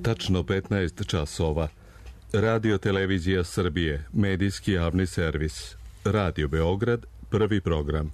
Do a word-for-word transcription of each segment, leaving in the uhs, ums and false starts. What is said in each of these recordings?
Tačno petnaest časova. Radio Televizija Srbije, medijski javni servis. Radio Beograd, prvi program.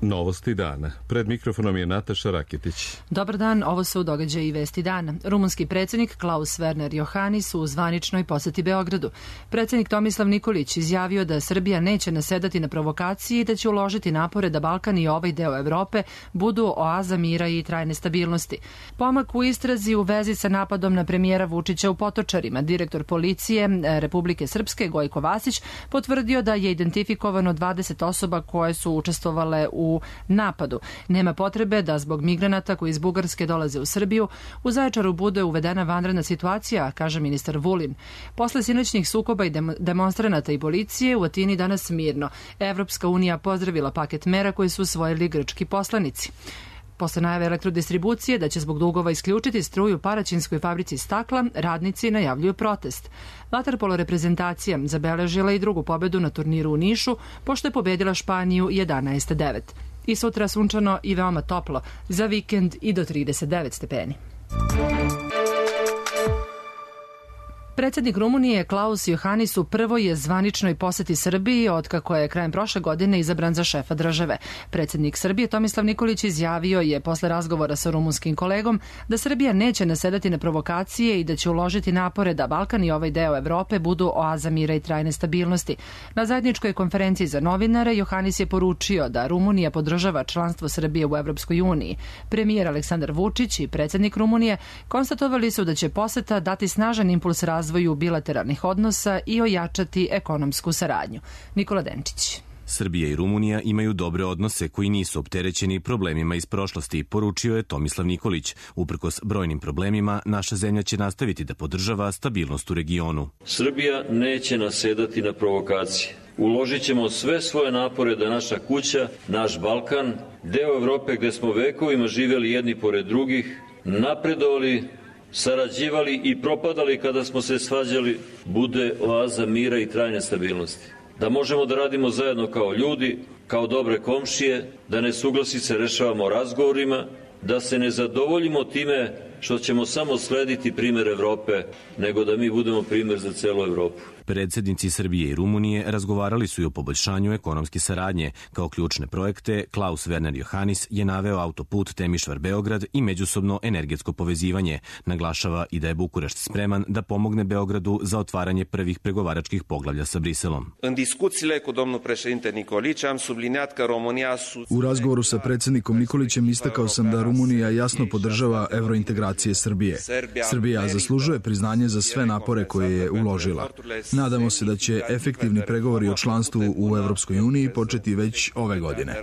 Novosti dana. Pred mikrofonom je Nataša Rakitić. Dobar dan, ovo su događaji i vesti dana. Rumunski predsjednik Klaus Werner Iohannis u zvaničnoj poseti Beogradu. Predsjednik Tomislav Nikolić izjavio da Srbija neće nasedati na provokacije i da će uložiti napore da Balkan i ovaj deo Evrope budu oaza mira i trajne stabilnosti. Pomak u istrazi u vezi sa napadom na premijera Vučića u Potočarima. Direktor policije Republike Srpske Gojko Vasić potvrdio da je identifikovano dvadeset osoba koje su učestvovale u napadu. Nema potrebe da zbog migranata koji iz Bugarske dolaze u Srbiju u Zaječaru bude uvedena vanredna situacija, kaže ministar Vulin. Posle sinoćnih sukoba i demonstranata i policije u Atini danas mirno. Evropska unija pozdravila paket mera koje su usvojili grčki poslanici. Posle najave elektrodistribucije da će zbog dugova isključiti struju Paraćinskoj fabrici stakla, radnici najavljuju protest. Vaterpolo reprezentacija zabeležila i drugu pobedu na turniru u Nišu, pošto je pobedila Španiju jedanaest devet. I sutra sunčano i veoma toplo, za vikend i do trideset devet stepeni. Predsjednik Rumunije Klaus Iohannis u prvoj je zvaničnoj poseti Srbiji otkako je krajem prošle godine izabran za šefa države. Predsjednik Srbije Tomislav Nikolić izjavio je posle razgovora sa rumunskim kolegom da Srbija neće nasedati na provokacije i da će uložiti napore da Balkan i ovaj deo Evrope budu oaza mira i trajne stabilnosti. Na zajedničkoj konferenciji za novinare Iohannis je poručio da Rumunija podržava članstvo Srbije u Evropskoj uniji. Premijer Aleksandar Vučić i predsjednik Rumunije konstatovali su da će poseta dati snažan impuls razvoju razvoju bilateralnih odnosa i ojačati ekonomsku saradnju. Nikola Denčić. Srbija i Rumunija imaju dobre odnose koji nisu opterećeni problemima iz prošlosti, poručio je Tomislav Nikolić. Uprkos brojnim problemima, naša zemlja će nastaviti da podržava stabilnost u regionu. Srbija neće nasedati na provokacije. Uložit ćemo sve svoje napore da naša kuća, naš Balkan, deo Evrope gde smo vekovima živjeli jedni pored drugih, napredovali, sarađivali i propadali kada smo se svađali, bude oaza mira i trajne stabilnosti. Da možemo da radimo zajedno kao ljudi, kao dobre komšije, da nesuglasice rešavamo razgovorima, da se ne zadovoljimo time što ćemo samo slediti primer Evrope, nego da mi budemo primer za celu Evropu. Predsjednici Srbije i Rumunije razgovarali su i o poboljšanju ekonomske saradnje. Kao ključne projekte, Klaus Werner Iohannis je naveo autoput Temišvar-Beograd i međusobno energetsko povezivanje. Naglašava i da je Bukurešt spreman da pomogne Beogradu za otvaranje prvih pregovaračkih poglavlja sa Briselom. U razgovoru sa predsjednikom Nikolićem istakao sam da Rumunija jasno podržava evrointegracije Srbije. Srbija zaslužuje priznanje za sve napore koje je uložila. Nadamo se da će efektivni pregovori o članstvu u Evropskoj uniji početi već ove godine.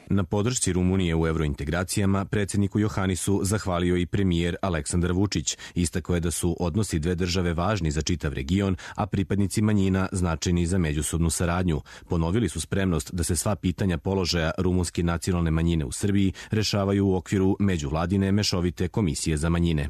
Na podršci Rumunije u evrointegracijama predsjedniku Iohannisu zahvalio i premijer Aleksandar Vučić. Istakao je da su odnosi dve države važni za čitav region, a pripadnici manjina značajni za međusobnu saradnju. Ponovili su spremnost da se sva pitanja položaja rumunske nacionalne manjine u Srbiji rešavaju u okviru međuvladine mešovite komisije za manjine.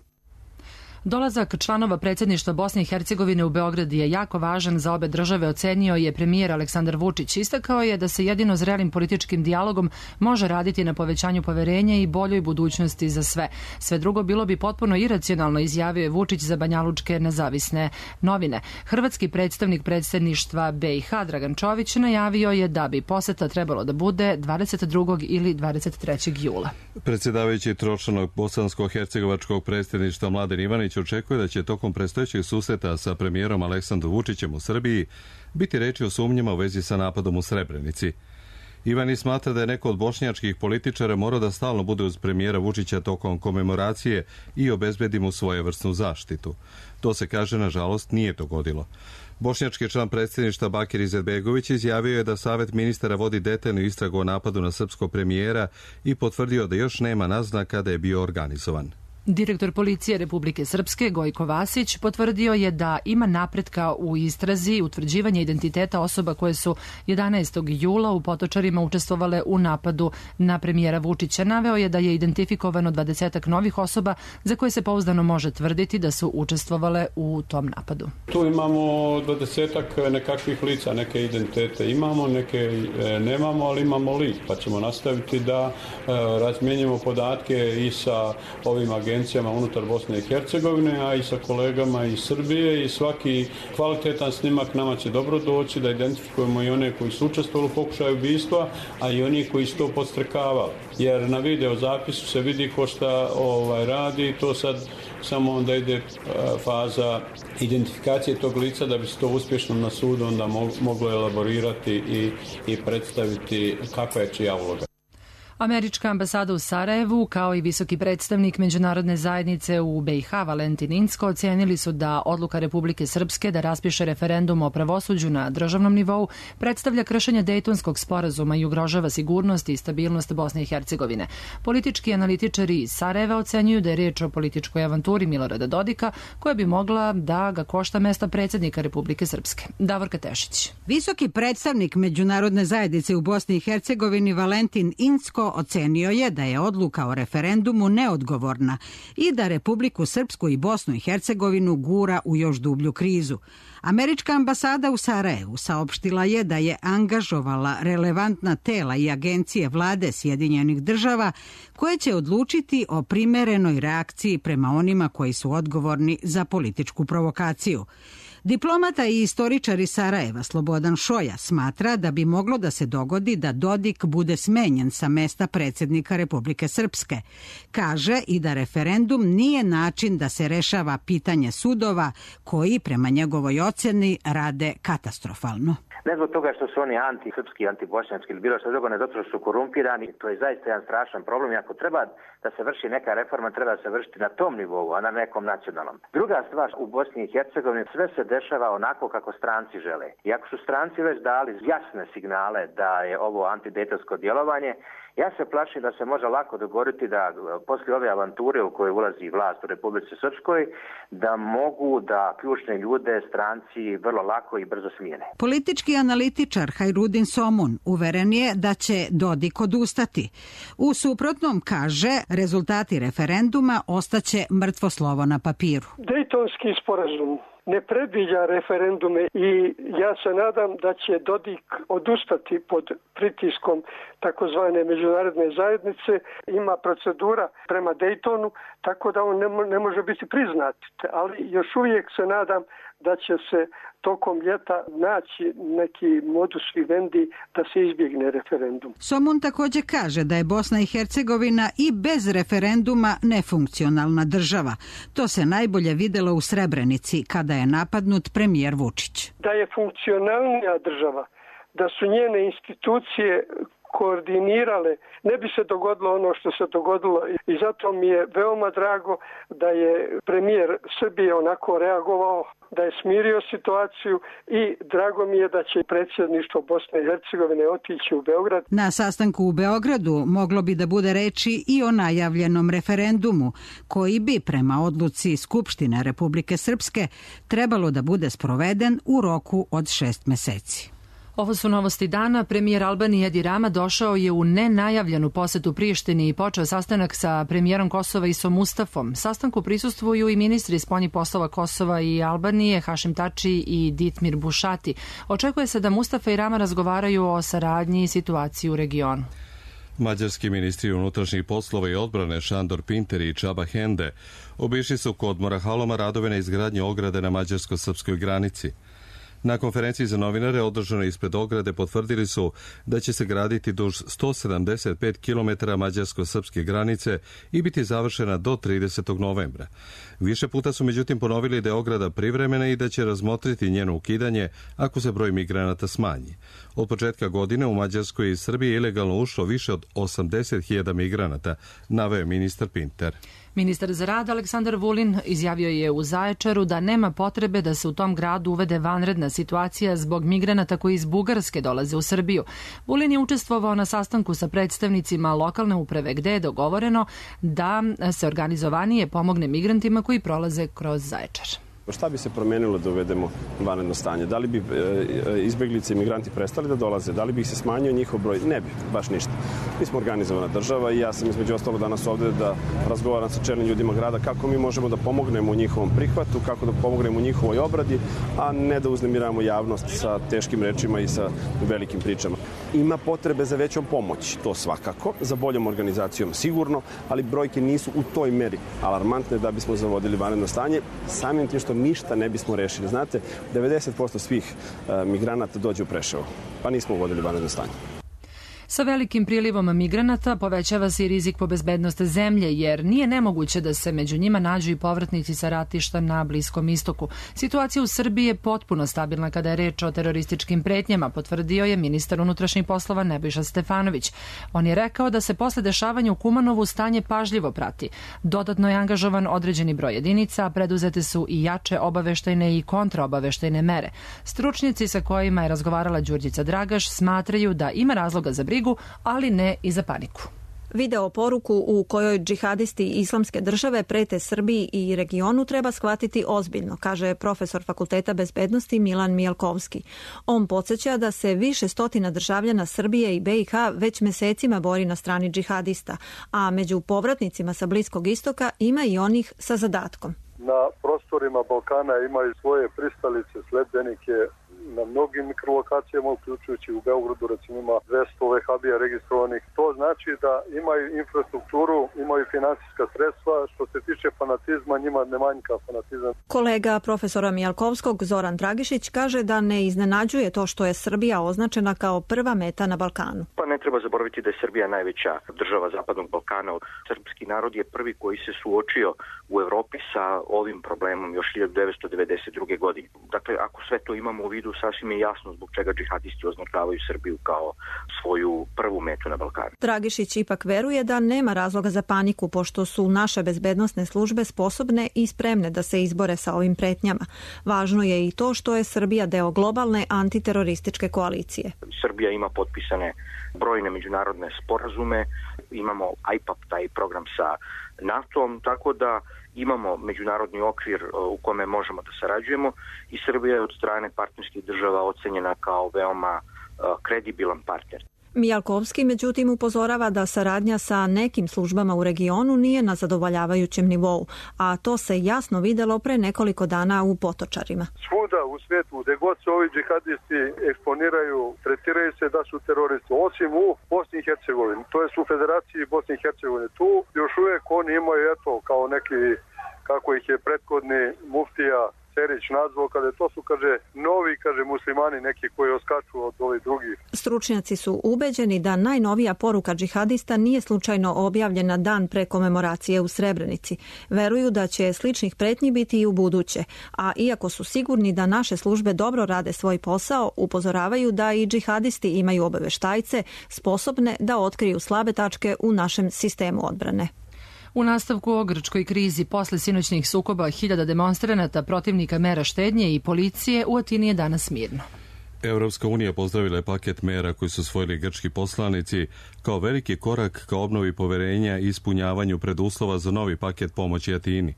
Dolazak članova predsjedništva Bosne i Hercegovine u Beograd je jako važan za obe države, ocenio je premijer Aleksandar Vučić. Istakao je da se jedino zrelim političkim dijalogom može raditi na povećanju poverenja i boljoj budućnosti za sve. Sve drugo bilo bi potpuno iracionalno, izjavio je Vučić za banjalučke nezavisne novine. Hrvatski predstavnik predsjedništva B i H Dragan Čović najavio je da bi poseta trebalo da bude dvadeset drugog ili dvadeset trećeg jula. Predsjedavajući tročlanog bosansko-hercegovačkog predsjedništva Mladen Ivanić očekuje da će tokom predstojećeg susreta sa premijerom Aleksandrom Vučićem u Srbiji biti reči o sumnjama u vezi sa napadom u Srebrenici. Ivanić smatra da je neko od bošnjačkih političara morao da stalno bude uz premijera Vučića tokom komemoracije i obezbedi mu svojevrsnu zaštitu. To se, kaže, nažalost nije dogodilo. Bošnjački član predsjedništva Bakir Izetbegović izjavio je da Savet ministara vodi detaljnu istragu o napadu na srpskog premijera i potvrdio da još nema naznaka da je bio organizovan. Direktor policije Republike Srpske Gojko Vasić potvrdio je da ima napretka u istrazi utvrđivanja identiteta osoba koje su jedanaestog jula u Potočarima učestvovale u napadu na premijera Vučića. Naveo je da je identifikovano dvadesetak novih osoba za koje se pouzdano može tvrditi da su učestvovale u tom napadu. Tu imamo dvadesetak nekakvih lica, neke identitete imamo, neke nemamo, ali imamo lik, pa ćemo nastaviti da razmjenjujemo podatke i sa ovim agencijama unutar Bosne i Hercegovine, a i sa kolegama iz Srbije, i svaki kvalitetan snimak nama će dobro doći da identifikujemo i one koji su učestvovali u pokušaju ubistva, a i oni koji su to podstrekavali. Jer na video zapisu se vidi ko šta ovaj, radi, to sad samo onda ide faza identifikacije tog lica da bi se to uspješno na sudu onda moglo elaborirati i, i predstaviti kakva je čija uloga. Američka ambasada u Sarajevu, kao i visoki predstavnik međunarodne zajednice u B i H Valentin Incko, ocenili su da odluka Republike Srpske da raspiše referendum o pravosuđu na državnom nivou predstavlja kršenje Dejtonskog sporazuma i ugrožava sigurnost i stabilnost Bosne i Hercegovine. Politički analitičari iz Sarajeva ocenjuju da je riječ o političkoj avanturi Milorada Dodika koja bi mogla da ga košta mesta predsjednika Republike Srpske. Davorka Tešić. Visoki predstavnik međunarodne zajednice u Bosni i Hercegovini Valentin Incko ocenio je da je odluka o referendumu neodgovorna i da Republiku Srpsku i Bosnu i Hercegovinu gura u još dublju krizu. Američka ambasada u Sarajevu saopštila je da je angažovala relevantna tela i agencije vlade Sjedinjenih država koje će odlučiti o primerenoj reakciji prema onima koji su odgovorni za političku provokaciju. Diplomata i istoričar iz Sarajeva Slobodan Šoja smatra da bi moglo da se dogodi da Dodik bude smenjen sa mesta predsjednika Republike Srpske. Kaže i da referendum nije način da se rešava pitanje sudova koji, prema njegovoj ocjeni, rade katastrofalno. Ne zbog toga što su oni antisrpski, antibošnjački ili bilo što drugo, ne zato što su korumpirani, to je zaista jedan strašan problem i ako treba da se vrši neka reforma, treba da se vršiti na tom nivou, a na nekom nacionalnom. Druga stvar, u Bosni i Hercegovini sve se dešava onako kako stranci žele. I ako su stranci već dali jasne signale da je ovo antidejtonsko djelovanje, ja se plašim da se može lako dogoditi da poslije ove avanture u kojoj ulazi vlast u Republici Srpskoj, da mogu da ključne ljude stranci vrlo lako i brzo smijene. Politički analitičar Hajrudin Somun uveren je da će Dodik odustati. U suprotnom, kaže, rezultati referenduma ostaće mrtvo slovo na papiru. Dejtonski sporazum ne predviđa referendume i ja se nadam da će Dodik odustati pod pritiskom takozvane međunarodne zajednice. Ima procedura prema Dejtonu, tako da on ne, mo- ne može biti priznat. Ali još uvijek se nadam da će se tokom ljeta naći neki modus vivendi da se izbjegne referendum. Somun također kaže da je Bosna i Hercegovina i bez referenduma nefunkcionalna država. To se najbolje vidjelo u Srebrenici kada je napadnut premijer Vučić. Da je funkcionalnija država, da su njene institucije koordinirale, ne bi se dogodilo ono što se dogodilo i zato mi je veoma drago da je premijer Srbije onako reagovao, da je smirio situaciju i drago mi je da će predsjedništvo Bosne i Hercegovine otići u Beograd. Na sastanku u Beogradu moglo bi da bude reči i o najavljenom referendumu, koji bi prema odluci Skupštine Republike Srpske trebalo da bude sproveden u roku od šest meseci. Ovo su novosti dana. Premijer Albanije Edi Rama došao je u nenajavljenu posetu Prištini i počeo sastanak sa premijerom Kosova Isom Mustafom. Sastanku prisustvuju i ministri spoljnih poslova Kosova i Albanije Hašim Tači i Ditmir Bušati. Očekuje se da Mustafa i Rama razgovaraju o saradnji i situaciji u regionu. Mađarski ministri unutrašnjih poslova i odbrane Šandor Pinter i Čaba Hende obišli su kod Morahaloma radove na izgradnji ograde na mađarsko-srpskoj granici. Na konferenciji za novinare održanoj ispred ograde potvrdili su da će se graditi duž sto sedamdeset pet kilometara mađarsko-srpske granice i biti završena do tridesetog novembra. Više puta su međutim ponovili da je ograda privremena i da će razmotriti njeno ukidanje ako se broj migranata smanji. Od početka godine u Mađarskoj i Srbiji ilegalno ušlo više od osamdeset hiljada migranata, naveo ministar Pinter. Ministar za rad Aleksandar Vulin izjavio je u Zaječaru da nema potrebe da se u tom gradu uvede vanredna situacija zbog migranata koji iz Bugarske dolaze u Srbiju. Vulin je učestvovao na sastanku sa predstavnicima lokalne uprave gde je dogovoreno da se organizovanije pomogne migrantima koji prolaze kroz Zaječar. Šta bi se promenilo da uvedemo vanredno stanje? Da li bi izbeglice i migranti prestali da dolaze? Da li bi se smanjio njihov broj? Ne bi, baš ništa. Mi smo organizovana država i ja sam između ostalo danas ovde da razgovaram sa čelnim ljudima grada kako mi možemo da pomognemo u njihovom prihvatu, kako da pomognemo u njihovoj obradi, a ne da uznemiravamo javnost sa teškim rečima i sa velikim pričama. Ima potrebe za većom pomoć, to svakako, za boljom organizacijom sigurno, ali brojke nisu u toj meri alarmantne da bismo zavodili vanredno stanje, samim tim što ništa ne bismo rešili. Znate, devedeset posto svih uh, migranata dođe u Preševo, pa nismo uvodili vanredno stanje. Sa velikim prilivom migranata povećava se i rizik po bezbednost zemlje, jer nije nemoguće da se među njima nađu i povratnici sa ratišta na Bliskom istoku. Situacija u Srbiji je potpuno stabilna kada je reč o terorističkim pretnjama, potvrdio je ministar unutrašnjih poslova Nebojša Stefanović. On je rekao da se posle dešavanja u Kumanovu stanje pažljivo prati. Dodatno je angažovan određeni broj jedinica, a preduzete su i jače obaveštajne i kontraobaveštajne mere. Stručnjaci sa kojima je razgovarala Đurđica Dragaš smatraju da ima razloga za brigu, ali ne i za paniku. Video poruku u kojoj džihadisti Islamske države prete Srbiji i regionu treba shvatiti ozbiljno, kaže profesor Fakulteta bezbednosti Milan Mijalkovski. On podsjeća da se više stotina državljana Srbije i B i H već mesecima bori na strani džihadista, a među povratnicima sa Bliskog istoka ima i onih sa zadatkom. Na prostorima Balkana imaju svoje pristalice, sledbenike na mnogim mikrolokacijama, uključujući u Beogradu, recimo ima dvesta vehabija registrovanih. To znači da imaju infrastrukturu, imaju finansijska sredstva. Što se tiče fanatizma, njima ne manjka fanatizam. Kolega profesora Mijalkovskog Zoran Dragišić kaže da ne iznenađuje to što je Srbija označena kao prva meta na Balkanu. Pa ne treba zaboraviti da je Srbija najveća država Zapadnog Balkana. Srpski narod je prvi koji se suočio u Evropi sa ovim problemom još hiljadu devetsto devedeset druge. godine. Dakle, ako sve to imamo u vidu, sasvim je jasno zbog čega džihadisti označavaju Srbiju kao svoju prvu metu na Balkanu. Dragišić ipak veruje da nema razloga za paniku, pošto su naše bezbednosne službe sposobne i spremne da se izbore sa ovim pretnjama. Važno je i to što je Srbija deo globalne antiterorističke koalicije. Srbija ima potpisane brojne međunarodne sporazume, imamo I P A P, taj program sa NATO-om, tako da imamo međunarodni okvir u kome možemo da sarađujemo i Srbija je od strane partnerskih država ocenjena kao veoma kredibilan partner. Mijalkovski međutim upozorava da saradnja sa nekim službama u regionu nije na zadovoljavajućem nivou, a to se jasno videlo pre nekoliko dana u Potočarima. Svuda u svijetu, gde god se ovi džihadisti eksponiraju, tretiraju se da su teroristi, osim u Bosni i Hercegovini, to je u Federaciji Bosne i Hercegovine. Tu još uvijek oni imaju, eto, kao neki, kako ih je prethodni muftija Serić nazvao, kada to su, kaže, novi, kaže, muslimani neki koji oskaču od ovih drugih. Stručnjaci su ubeđeni da najnovija poruka džihadista nije slučajno objavljena dan pre komemoracije u Srebrenici. Veruju da će sličnih pretnji biti i u buduće, a iako su sigurni da naše službe dobro rade svoj posao, upozoravaju da i džihadisti imaju obaveštajce sposobne da otkriju slabe tačke u našem sistemu odbrane. U nastavku o grčkoj krizi posle sinoćnih sukoba hiljada demonstranata protivnika mera štednje i policije u Atini je danas mirno. Evropska unija pozdravila je paket mera koji su usvojili grčki poslanici kao veliki korak ka obnovi poverenja i ispunjavanju preduslova za novi paket pomoći Atini.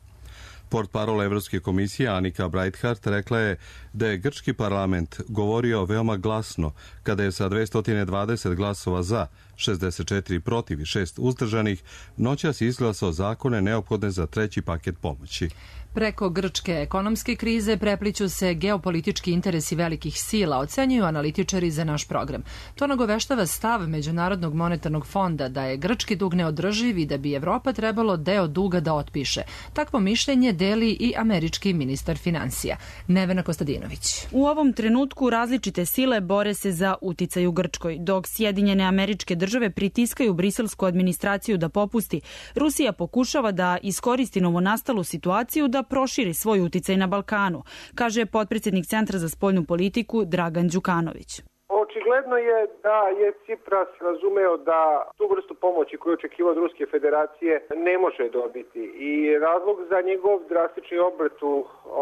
Portparol Evropske komisije Anika Breithardt rekla je da je grčki parlament govorio veoma glasno kada je sa dvesta dvadeset glasova za, šezdeset četiri protiv i šest uzdržanih noćas izglasao zakone neophodne za treći paket pomoći. Preko grčke ekonomske krize prepliću se geopolitički interesi velikih sila, ocenjuju analitičari za naš program. To nagoveštava stav Međunarodnog monetarnog fonda da je grčki dug neodrživ i da bi Evropa trebalo deo duga da otpiše. Takvo mišljenje deli i američki ministar finansija. Nevena Kostadinović. U ovom trenutku različite sile bore se za uticaj u Grčkoj. Dok Sjedinjene Američke države pritiskaju briselsku administraciju da popusti, Rusija pokušava da iskoristi novonastalu situaciju da proširi svoj uticaj na Balkanu, kaže potpredsjednik Centra za spoljnu politiku Dragan Đukanović. Očigledno Očigledno je da je Cipras razumeo da tu vrstu pomoći koju očekivao od Ruske federacije ne može dobiti i razlog za njegov drastični obrt u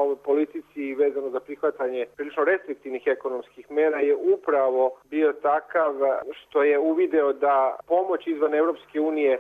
ovoj politici vezano za prihvatanje prilično restriktivnih ekonomskih mera je upravo bio takav što je uvideo da pomoć izvan Evropske unije e,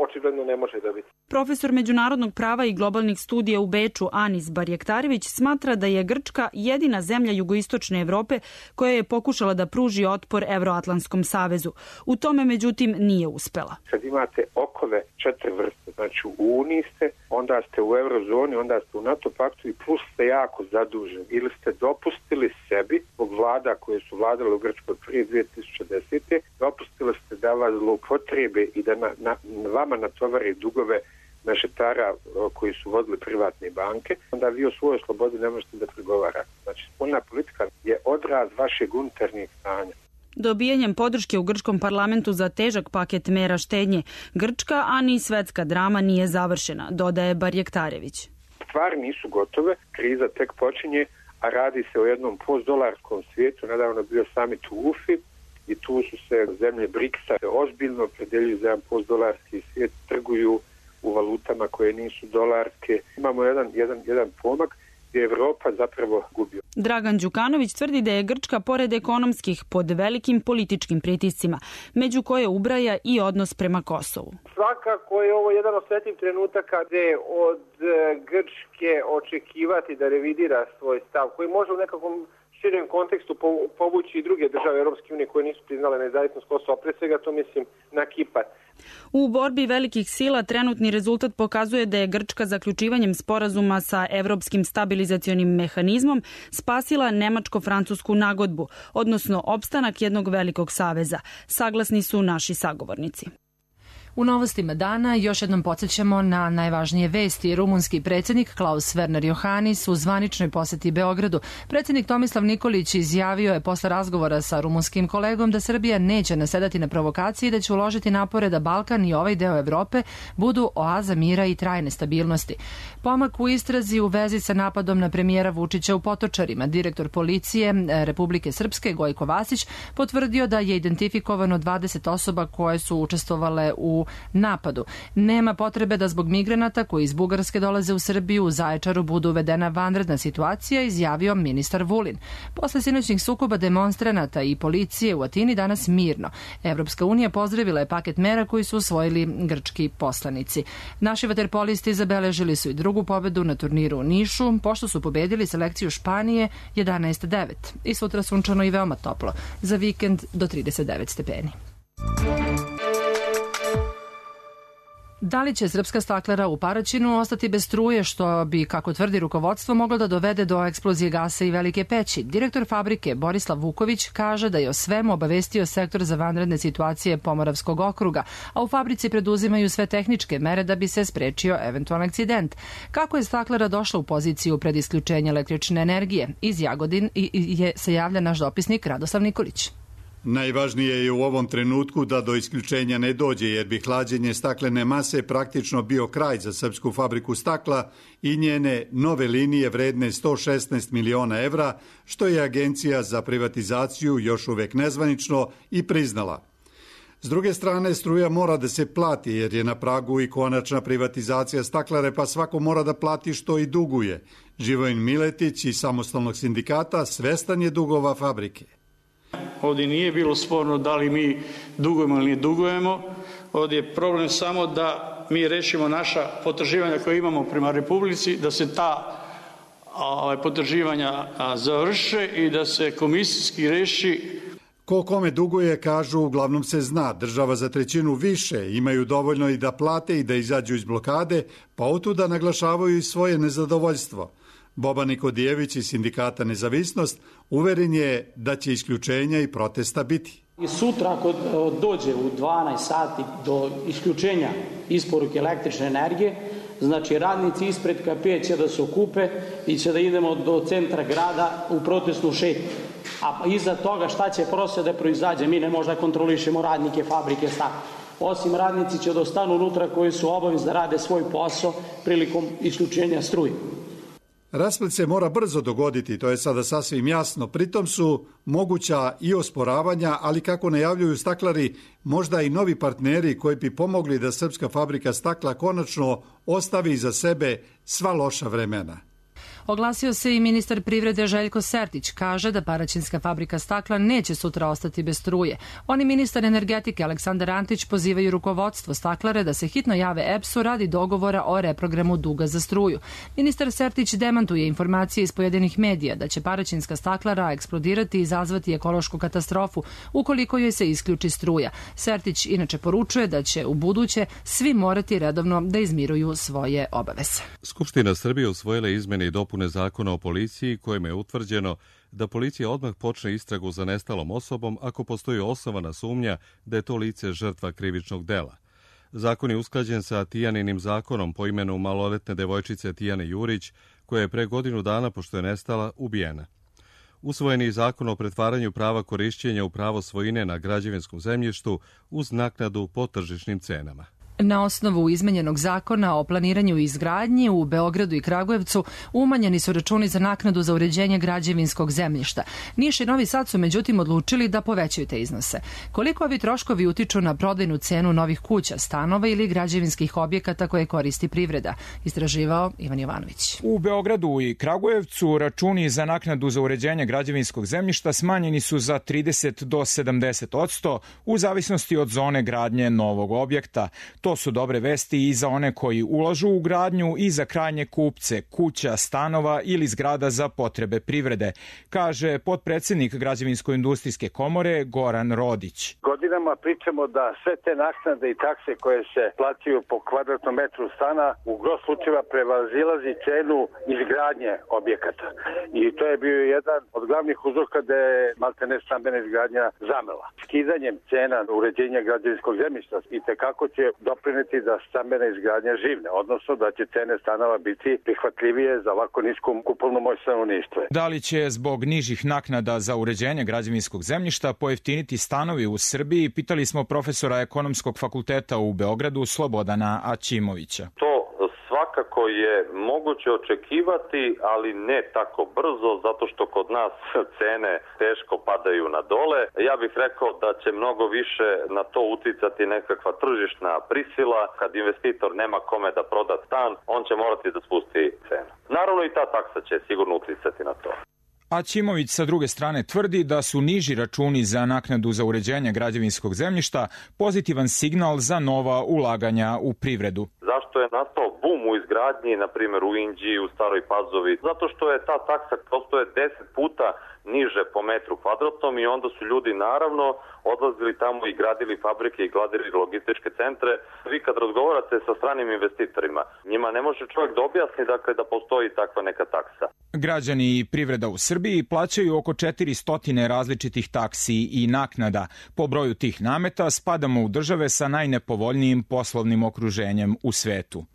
očigledno ne može dobiti. Profesor međunarodnog prava i globalnih studija u Beču Anis Barjektarević smatra da je Grčka jedina zemlja jugoistočne Evrope koja je pokušala da pruži otpor Evroatlantskom savezu. U tome, međutim, nije uspela. Kad imate okove četiri vrste, znači u Uniji ste, onda ste u Eurozoni, onda ste u NATO paktu i plus ste jako zaduženi. Ili ste dopustili sebi, zbog vlada koje su vladale u Grčkoj prije dvije tisuće desete. dopustili ste da vas zloupotrebe i da na, na, vama natovari dugove mešetara koji su vodili privatne banke, onda vi o svojoj slobodi ne možete da pregovarate. Znači, spoljna politika je odraz vašeg unutarnjeg stanja. Dobijanjem podrške u grčkom parlamentu za težak paket mera štednje, grčka, a ni svetska drama nije završena, dodaje Barjektarević. Stvari nisu gotove, kriza tek počinje, a radi se o jednom postdolarskom svijetu. Nedavno bio summit u Ufi i tu su se zemlje briksa ozbiljno opredeljuju za jedan postdolarski svijet, trguju u valutama koje nisu dolarske. Imamo jedan, jedan, jedan pomak gdje Evropa zapravo gubi. Dragan Đukanović tvrdi da je Grčka pored ekonomskih pod velikim političkim pritiscima, među koje ubraja i odnos prema Kosovu. Svakako je ovo jedan osjetljiv trenutak kada je od Grčke očekivati da revidira svoj stav, koji može u nekakvom širem kontekstu povući i druge države Europske unije koje nisu priznale nezavisnost Kosova, pre svega to mislim na Kipar. U borbi velikih sila trenutni rezultat pokazuje da je Grčka zaključivanjem sporazuma sa Evropskim stabilizacionim mehanizmom spasila nemačko-francusku nagodbu, odnosno opstanak jednog velikog saveza. Saglasni su naši sagovornici. U novostima dana još jednom podsjećamo na najvažnije vesti. Rumunski predsjednik Klaus Werner Iohannis u zvaničnoj poseti Beogradu. Predsjednik Tomislav Nikolić izjavio je posle razgovora sa rumunskim kolegom da Srbija neće nasedati na provokaciji i da će uložiti napore da Balkan i ovaj deo Evrope budu oaza mira i trajne stabilnosti. Pomak u istrazi u vezi sa napadom na premijera Vučića u Potočarima. Direktor policije Republike Srpske Gojko Vasić potvrdio da je identifikovano dvadeset osoba koje su učestvovale u napadu. Nema potrebe da zbog migranata koji iz Bugarske dolaze u Srbiju u Zaječaru budu uvedena vanredna situacija, izjavio ministar Vulin. Posle sinoćnih sukoba demonstranata i policije u Atini danas mirno. Evropska unija pozdravila je paket mera koji su usvojili grčki poslanici. Naši vaterpolisti zabeležili su i drugu pobedu na turniru u Nišu, pošto su pobedili selekciju Španije jedanaest devet. I sutra sunčano i veoma toplo. Za vikend do trideset devet stepeni. Da li će srpska staklara u Paraćinu ostati bez struje, što bi, kako tvrdi rukovodstvo, moglo da dovede do eksplozije gasa i velike peći? Direktor fabrike Borislav Vuković kaže da je o svemu obavestio sektor za vanredne situacije Pomoravskog okruga, a u fabrici preduzimaju sve tehničke mere da bi se sprečio eventualan akcident. Kako je staklara došla u poziciju pred isključenje električne energije? Iz Jagodin je se javlja naš dopisnik Radoslav Nikolić. Najvažnije je u ovom trenutku da do isključenja ne dođe, jer bi hlađenje staklene mase praktično bio kraj za srpsku fabriku stakla i njene nove linije vredne sto šesnaest miliona evra, što je Agencija za privatizaciju još uvek nezvanično i priznala. S druge strane, struja mora da se plati, jer je na pragu i konačna privatizacija staklare, pa svako mora da plati što i duguje. Živojin Miletić iz Samostalnog sindikata svestan je dugova fabrike. Ovdje nije bilo sporno da li mi dugujemo ili ne dugujemo. Ovdje je problem samo da mi rešimo naša potraživanja koje imamo prema Republici, da se ta a, potraživanja a, završe i da se komisijski reši. Ko kome duguje, kažu, uglavnom se zna. Država za trećinu više, imaju dovoljno i da plate i da izađu iz blokade, pa otuda naglašavaju i svoje nezadovoljstvo. Boban Nikodijević iz sindikata Nezavisnost uveren je da će isključenja i protesta biti. I sutra ako dođe u dvanaest sati do isključenja isporuke električne energije, znači radnici ispred K P će da se okupe i će da idemo do centra grada u protestnu šetnju. A iza toga šta će prosvjed da proizađe? Mi ne možda kontrolišemo radnike fabrike stakla. Osim radnici će da ostanu unutra koji su obavezni da rade svoj posao prilikom isključenja struje. Rasplet se mora brzo dogoditi, to je sada sasvim jasno. Pritom su moguća i osporavanja, ali kako najavljuju staklari, možda i novi partneri koji bi pomogli da srpska fabrika stakla konačno ostavi iza sebe sva loša vremena. Oglasio se i ministar privrede Željko Sertić. Kaže da Paraćinska fabrika stakla neće sutra ostati bez struje. Oni ministar energetike Aleksandar Antić pozivaju rukovodstvo staklare da se hitno jave E P S-u radi dogovora o reprogramu duga za struju. Ministar Sertić demantuje informacije iz pojedinih medija da će Paraćinska staklara eksplodirati i izazvati ekološku katastrofu ukoliko joj se isključi struja. Sertić inače poručuje da će u buduće svi morati redovno da izmiruju svoje obaveze. Skupština Srbije usvojila izmene i dopune zakona o policiji kojima je utvrđeno da policija odmah počne istragu za nestalom osobom ako postoji osnovana sumnja da je to lice žrtva krivičnog dela. Zakon je usklađen sa Tijaninim zakonom po imenu maloletne devojčice Tijane Jurić, koja je pre godinu dana, pošto je nestala, ubijena. Usvojen je zakon o pretvaranju prava korišćenja u pravo svojine na građevinskom zemljištu uz naknadu po tržišnim cenama. Na osnovu izmenjenog zakona o planiranju i izgradnji u Beogradu i Kragujevcu umanjeni su računi za naknadu za uređenje građevinskog zemljišta. Niš i Novi Sad su međutim odlučili da povećaju te iznose. Koliko ovi troškovi utiču na prodajnu cenu novih kuća, stanova ili građevinskih objekata koje koristi privreda? Istraživao Ivan Jovanović. U Beogradu i Kragujevcu računi za naknadu za uređenje građevinskog zemljišta smanjeni su za trideset do sedamdeset odsto u zavisnosti od zone gradnje novog objekta. To su dobre vesti i za one koji ulažu u gradnju i za krajnje kupce, kuća, stanova ili zgrada za potrebe privrede, kaže potpredsednik Građevinsko-industrijske komore Goran Rodić. Godinama pričamo da sve te naknade i takse koje se plaćaju po kvadratnom metru stana u gro slučajeva prevazilazi cenu izgradnje objekata. I to je bio jedan od glavnih uzroka da je maltene stambena izgradnja zamela. Skidanjem cena uređenja građevinskog zemljišta i tekako će doprineti da stambena izgradnja živne, odnosno da će cene stanova biti prihvatljivije za ovako nisko kupovno moć stanovništva. Da li će zbog nižih naknada za uređenje građevinskog zemljišta pojeftiniti stanovi u Srbiji, pitali smo profesora Ekonomskog fakulteta u Beogradu Slobodana Aćimovića. To svakako je moguće očekivati, ali ne tako brzo, zato što kod nas cene teško padaju na dole. Ja bih rekao da će mnogo više na to uticati nekakva tržišna prisila. Kad investitor nema kome da proda stan, on će morati da spusti cenu. Naravno i ta taksa će sigurno uticati na to. Aćimović sa druge strane tvrdi da su niži računi za naknadu za uređenje građevinskog zemljišta pozitivan signal za nova ulaganja u privredu. Zašto je nastao bum u izgradnji, na primjer u Inđiji, u Staroj Pazovi? Zato što je ta taksa prosto je deset puta niže po metru kvadratnom i onda su ljudi naravno odlazili tamo i gradili fabrike i gradili logističke centre. Vi kad razgovarate sa stranim investitorima, njima ne može čovjek da objasni dakle, da postoji takva neka taksa. Građani i privreda u Srbiji plaćaju oko četiristo različitih taksi i naknada. Po broju tih nameta spadamo u države sa najnepovoljnijim poslovnim okruženjem u svetu.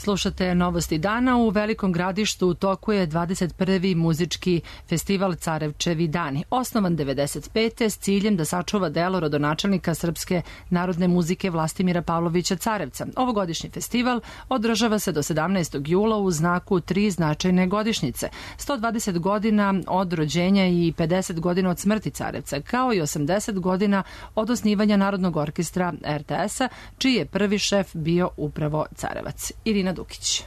Slušate Novosti dana. U Velikom Gradištu u toku je dvadeset prvi muzički festival Carevčevi dani. Osnovan devedeset pete s ciljem da sačuva delo rodonačelnika srpske narodne muzike Vlastimira Pavlovića Carevca. Ovogodišnji festival održava se do sedamnaestog jula u znaku tri značajne godišnjice. sto dvadeset godina od rođenja i pedeset godina od smrti Carevca, kao i osamdeset godina od osnivanja Narodnog orkestra er te es-a, čiji je prvi šef bio upravo Carevac. Irina Dukić.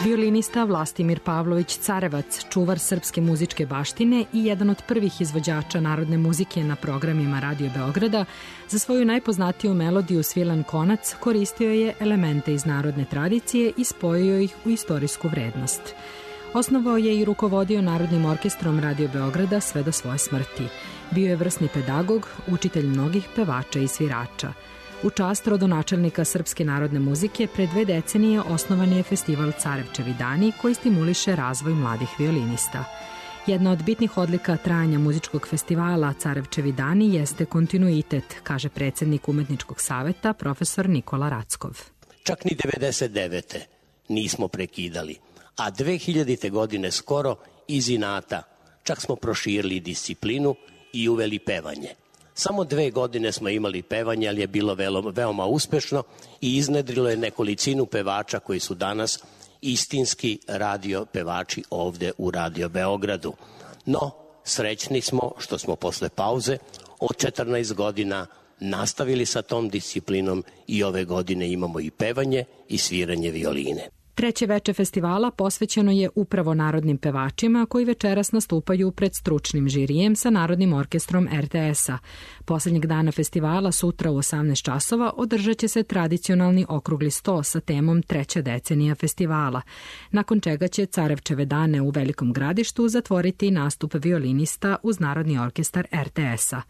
Violinista Vlastimir Pavlović Carevac, čuvar srpske muzičke baštine i jedan od prvih izvođača narodne muzike na programima Radio Beograda, za svoju najpoznatiju melodiju Svilan konac koristio je elemente iz narodne tradicije i spojio ih u istorijsku vrednost. Osnovao je i rukovodio Narodnim orkestrom Radio Beograda sve do svoje smrti. Bio je vrsni pedagog, učitelj mnogih pevača i svirača. U čast rodonačelnika srpske narodne muzike pre dve decenije osnovan je festival Carevčevi dani koji stimuliše razvoj mladih violinista. Jedna od bitnih odlika trajanja muzičkog festivala Carevčevi dani jeste kontinuitet, kaže predsednik Umetničkog saveta profesor Nikola Rackov. Čak ni devedeset devete nismo prekidali, a dve hiljadite godine skoro iz inata čak smo proširili disciplinu i uveli pevanje. Samo dve godine smo imali pevanje, ali je bilo veoma uspešno i iznedrilo je nekolicinu pevača koji su danas istinski radio pevači ovde u Radio Beogradu. No, srećni smo što smo posle pauze od četrnaest godina nastavili sa tom disciplinom i ove godine imamo i pevanje i sviranje violine. Treće veče festivala posvećeno je upravo narodnim pevačima koji večeras nastupaju pred stručnim žirijem sa Narodnim orkestrom er te es-a. Poslednjeg dana festivala, sutra u osamnaest časova, održat će se tradicionalni okrugli sto sa temom treća decenija festivala, nakon čega će Carevčeve dane u Velikom Gradištu zatvoriti nastup violinista uz Narodni orkestar er te es-a.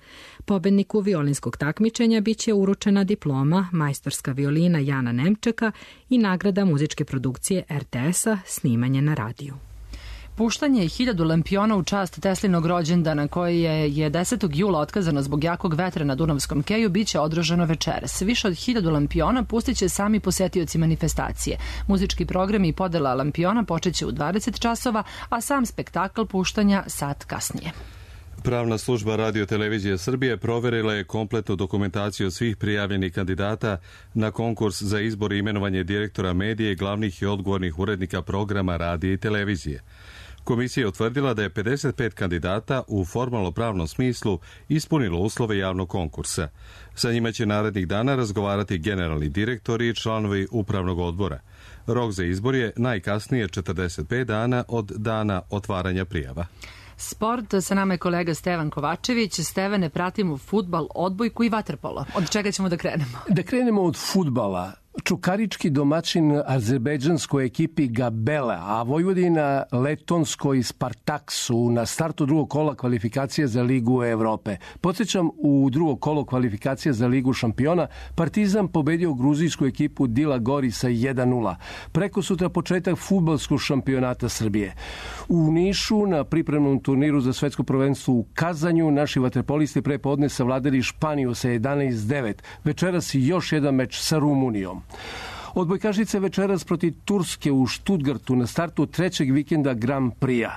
Pobedniku violinskog takmičenja biće uručena diploma, majstorska violina Jana Nemčeka i nagrada muzičke produkcije er te es-a snimanje na radiju. Puštanje hiljadu lampiona u čast Teslinog rođendana, koje je desetog jula otkazano zbog jakog vetra na Dunavskom keju, biće održano večeras. Više od hiljadu lampiona pustit će sami posetioci manifestacije. Muzički program i podela lampiona počeće u dvadeset časova, a sam spektakl puštanja sat kasnije. Pravna služba Radio Televizije Srbije proverila je kompletnu dokumentaciju svih prijavljenih kandidata na konkurs za izbor i imenovanje direktora medije i glavnih i odgovornih urednika programa radija i televizije. Komisija je utvrdila da je pedeset pet kandidata u formalno-pravnom smislu ispunilo uslove javnog konkursa. Sa njima će narednih dana razgovarati generalni direktori i članovi upravnog odbora. Rok za izbor je najkasnije četrdeset pet dana od dana otvaranja prijava. Sport, sa nama je kolega Stevan Kovačević. Stevane, pratimo fudbal, odbojku i vaterpolo. Od čega ćemo da krenemo? Da krenemo od fudbala. Čukarički domaćin azerbejdžanskoj ekipi Gabela, a Vojvodina letonskoj Spartak su na startu drugog kola kvalifikacije za Ligu Evrope. Podsjećam, u drugo kolo kvalifikacije za Ligu šampiona Partizan pobedio gruzijsku ekipu Dila Gori sa jedan nula. Preko sutra početak fudbalskog šampionata Srbije. U Nišu na pripremnom turniru za svetsko prvenstvo u Kazanju naši vaterpolisti pre podne savladali Španiju sa jedanaest devet. Večeras još jedan meč sa Rumunijom. Odbojkašice večeras protiv Turske u Štutgartu na startu trećeg vikenda Grand Prix-a.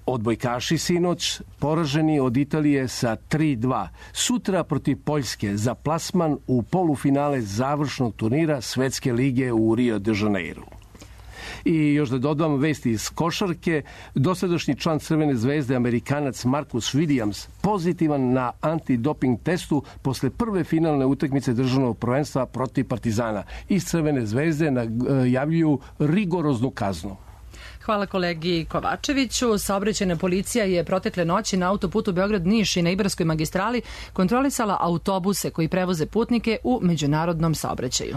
Odbojkaši sinoć poraženi od Italije sa tri dva. Sutra protiv Poljske za plasman u polufinale završnog turnira Svetske lige u Rio de Janeiro. I još da dodam vesti iz košarke, dosadašnji član Crvene zvezde, Amerikanac Marcus Williams, pozitivan na antidoping testu posle prve finalne utakmice državnog prvenstva protiv Partizana. Iz Crvene zvezde najavljuju rigoroznu kaznu. Hvala kolegi Kovačeviću. Saobraćajna policija je protekle noći na autoputu Beograd-Niš i na Ibarskoj magistrali kontrolisala autobuse koji prevoze putnike u međunarodnom saobraćaju.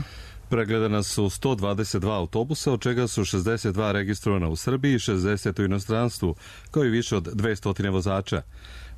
Pregledana su sto dvadeset dva autobusa, od čega su šezdeset dva registrovana u Srbiji i šezdeset u inostranstvu, kao i više od dvesta vozača.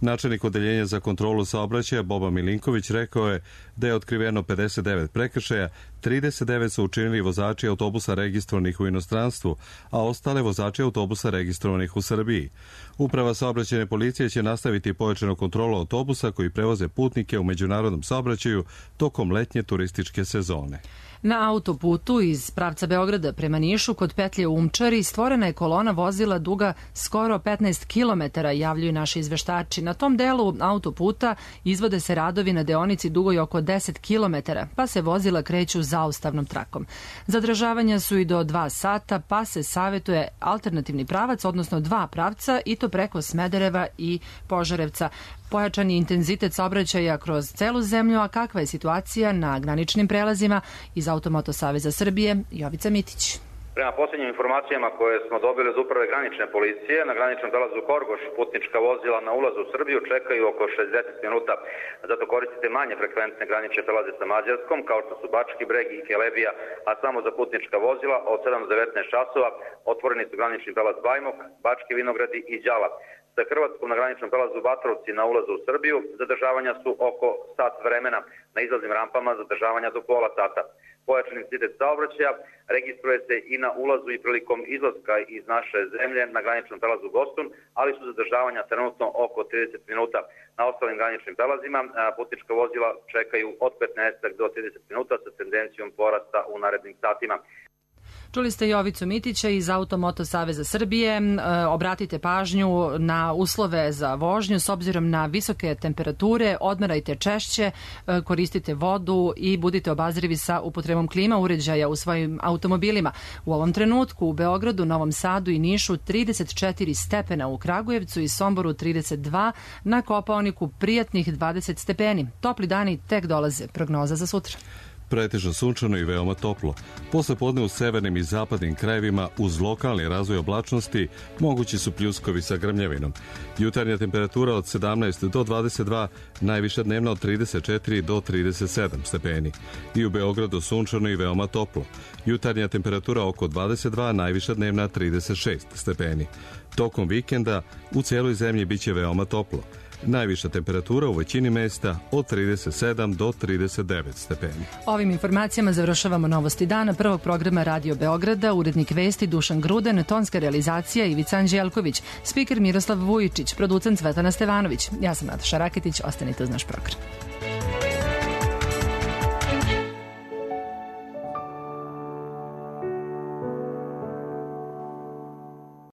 Načelnik odeljenja za kontrolu saobraćaja Boba Milinković rekao je da je otkriveno pedeset devet prekršaja, trideset devet su učinili vozači autobusa registrovanih u inostranstvu, a ostale vozači autobusa registrovanih u Srbiji. Uprava saobraćajne policije će nastaviti pojačanu kontrolu autobusa koji prevoze putnike u međunarodnom saobraćaju tokom letnje turističke sezone. Na autoputu iz pravca Beograda prema Nišu kod petlje u Umčari stvorena je kolona vozila duga skoro petnaest kilometara, javljaju naši izveštači. Na tom delu autoputa izvode se radovi na deonici dugoj oko deset kilometara, pa se vozila kreću zaustavnom trakom. Zadržavanja su i do dva sata, pa se savetuje alternativni pravac, odnosno dva pravca, i to preko Smedereva i Požarevca. Pojačan je intenzitet saobraćaja kroz celu zemlju, a kakva je situacija na graničnim prelazima? Iz Automoto Saveza Srbije, Jovica Mitić. Prema posljednjim informacijama koje smo dobili od uprave granične policije, na graničnom prelazu Horgoš putnička vozila na ulazu u Srbiju čekaju oko šezdeset minuta. Zato koristite manje frekventne granične prelaze sa Mađarskom, kao što su Bački Breg i Kelebija, a samo za putnička vozila od sedam do devetnaest časova otvoreni su granični prelaz Bajmok, Bački Vinogradi i Đala. Sa Hrvatskom na graničnom prelazu Batrovci na ulazu u Srbiju zadržavanja su oko sat vremena, na izlaznim rampama zadržavanja do pola sata. Pojačan intenzitet saobraćaja registruje se i na ulazu i prilikom izlaska iz naše zemlje na graničnom prelazu Gostun, ali su zadržavanja trenutno oko trideset minuta. Na ostalim graničnim prelazima putnička vozila čekaju od petnaest do trideset minuta sa tendencijom porasta u narednim satima. Čuli ste Jovicu Mitića iz Automoto Saveza Srbije. Obratite pažnju na uslove za vožnju s obzirom na visoke temperature, odmarajte češće, koristite vodu i budite obazrivi sa upotrebom klima uređaja u svojim automobilima. U ovom trenutku u Beogradu, Novom Sadu i Nišu trideset četiri stepena, u Kragujevcu i Somboru trideset dva, na Kopaoniku prijatnih dvadeset stepeni. Topli dani tek dolaze. Prognoza za sutra. Pretežno sunčano i veoma toplo. Posle podne u severnim i zapadnim krajevima uz lokalni razvoj oblačnosti mogući su pljuskovi sa grmljavinom. Jutarnja temperatura od sedamnaest do dvadeset dva, najviša dnevna od trideset četiri do trideset sedam stepeni. I u Beogradu sunčano i veoma toplo. Jutarnja temperatura oko dvadeset dva, najviša dnevna trideset šest stepeni. Tokom vikenda u cijeloj zemlji biće veoma toplo. Najviša temperatura u većini mesta od trideset sedam do trideset devet stepeni. Ovim informacijama završavamo novosti dana prvog programa Radio Beograda, urednik vesti Dušan Gruden, tonska realizacija Ivica Anđelković, spiker Miroslav Vujičić, producent Svetlana Stevanović. Ja sam Nataša Raketić, ostanite uz naš program.